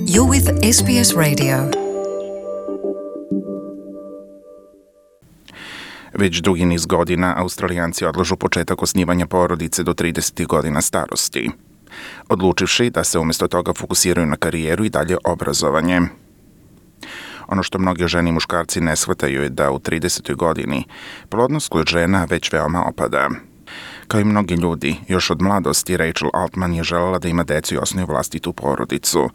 You're with SBS Radio. Već dugi niz godina Australijanci odlažu početak osnivanja porodice do 30 godina starosti, odlučivši da se umjesto toga fokusiraju na karijeru i dalje obrazovanje. Ono što mnoge žene i muškarci ne shvataju je da u 30. godini plodnost kod žena već veoma opada. Kao i mnogi ljudi, još od mladosti Rachel Altman je željela da ima decu i osnuje vlastitu porodicu.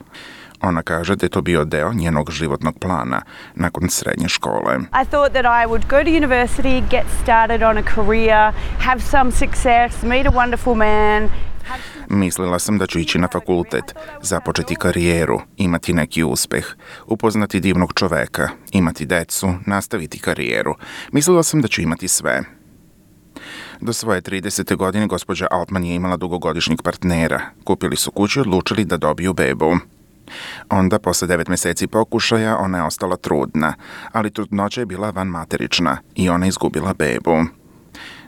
Ona kaže da je to bio deo njenog životnog plana nakon srednje škole. I thought that I would go to university, get started on a career, have some success, meet a wonderful man. Mislila sam da ću ići na fakultet, započeti karijeru, imati neki uspeh, upoznati divnog čoveka, imati decu, nastaviti karijeru. Mislila sam da ću imati sve. Do svoje 30. godine gospođa Altman je imala dugogodišnjeg partnera. Kupili su kuću i odlučili da dobiju bebu. Onda, posle 9 mjeseci pokušaja, ona je ostala trudna, ali trudnoća je bila vanmaterična i ona je izgubila bebu.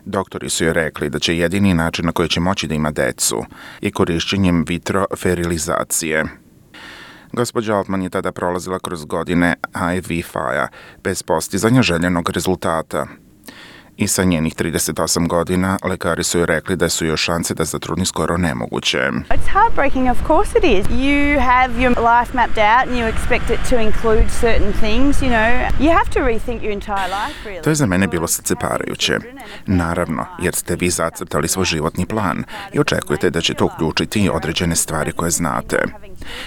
Doktori su joj rekli da će jedini način na koji će moći da ima decu je korišćenjem vitroferilizacije. Gospođa Altman je tada prolazila kroz godine IVF-a bez postizanja željenog rezultata. I sa njenih 38 godina lekari su joj rekli da su joj šanse da zatrudni skoro nemoguće. It's heartbreaking, of course it is. You have your life mapped out and you expect it to include certain things, you know. You have to rethink your entire life, really. To je za mene bilo srceparajuće. Naravno, jer ste vi zacrtali svoj životni plan i očekujete da će to uključiti određene stvari koje znate.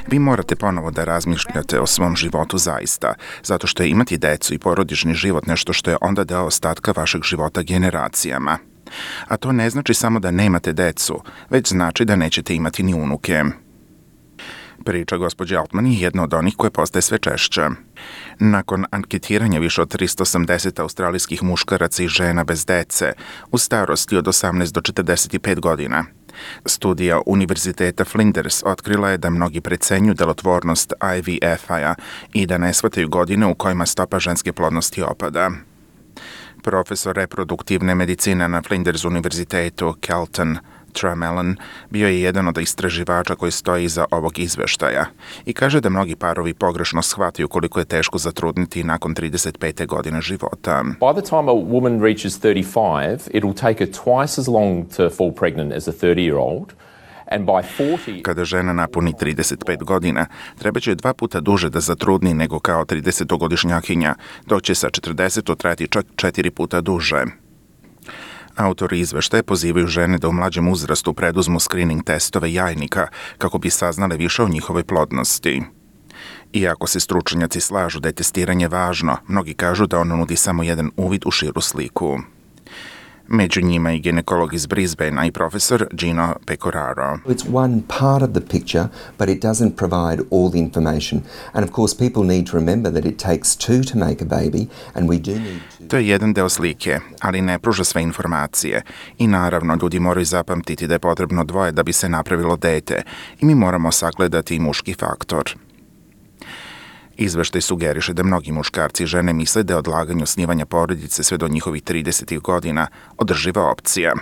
Vi morate ponovo da razmišljate o svom životu zaista, zato što je imati decu i porodični život nešto što je onda deo ostatka vašeg života generacijama. A to ne znači samo da nemate decu, već znači da nećete imati ni unuke. Priča gospođe Altman je jedna od onih koje postaje sve češća. Nakon anketiranja više od 380 australijskih muškaraca i žena bez dece u starosti od 18 do 45 godina, studija Univerziteta Flinders otkrila je da mnogi precenjuju delotvornost IVF-a i da ne shvataju godine u kojima stopa ženske plodnosti opada. Profesor reproduktivne medicine na Flinders univerzitetu Kelton Tramelin bio je jedan od istraživača koji stoji iza ovog izveštaja i kaže da mnogi parovi pogrešno shvataju koliko je teško zatrudniti nakon 35. godine života. By the time a woman reaches 35, it'll take her twice as long to fall pregnant as a 30-year-old. And by 40... Kada žena napuni 35 godina, treba će 2 puta duže da zatrudni nego kao 30-godišnjakinja, dok će sa 40 trajati čak 4 puta duže. Autori izveštaja pozivaju žene da u mlađem uzrastu preduzmu screening testove jajnika kako bi saznale više o njihovoj plodnosti. Iako se stručnjaci slažu da je testiranje važno, mnogi kažu da ono nudi samo jedan uvid u širu sliku. Među njima i ginekolog iz Brisbanea i profesor Gino Pecoraro. It's one part of the picture, but it doesn't provide all the information. And of course people need to remember that it takes two to make a baby and we do need to... To je jedan deo slike, ali ne pruža sve informacije. I naravno, ljudi moraju zapamtiti da je potrebno 2 da bi se napravilo dete i mi moramo sagledati i muški faktor. Izveštaj sugeriše da mnogi muškarci i žene misle da je odlaganje osnivanja porodice sve do njihovih 30 godina održiva opcija.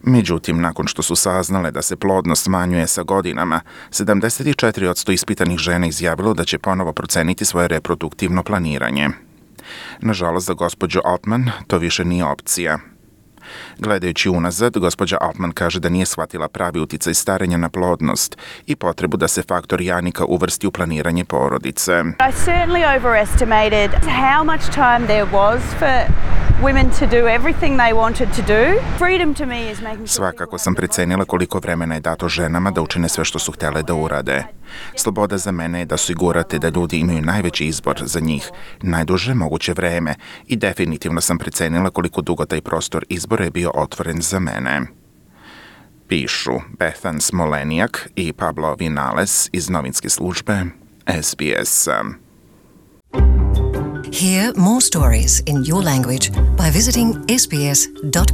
Međutim, nakon što su saznale da se plodnost smanjuje sa godinama, 74% ispitanih žena izjavilo da će ponovo proceniti svoje reproduktivno planiranje. Nažalost, za gospođu Altman to više nije opcija. Gledajući unazad, gospođa Altman kaže da nije shvatila pravi uticaj starenja na plodnost i potrebu da se faktor jajnika uvrsti u planiranje porodice. I certainly overestimated how much time there was for women to do everything they wanted to do. Freedom to me is making... Svakako sam precenila koliko vremena je dato ženama da učine sve što su htjele da urade. Sloboda za mene je da osigurate da ljudi imaju najveći izbor za njih, najduže moguće vreme i definitivno sam precenila koliko dugo taj prostor izbora je bio otvoren za mene. Pišu Bethan Smolenjak i Pablo Vinales iz novinske službe SBS. Hear more stories in your language by visiting sbs.com.au.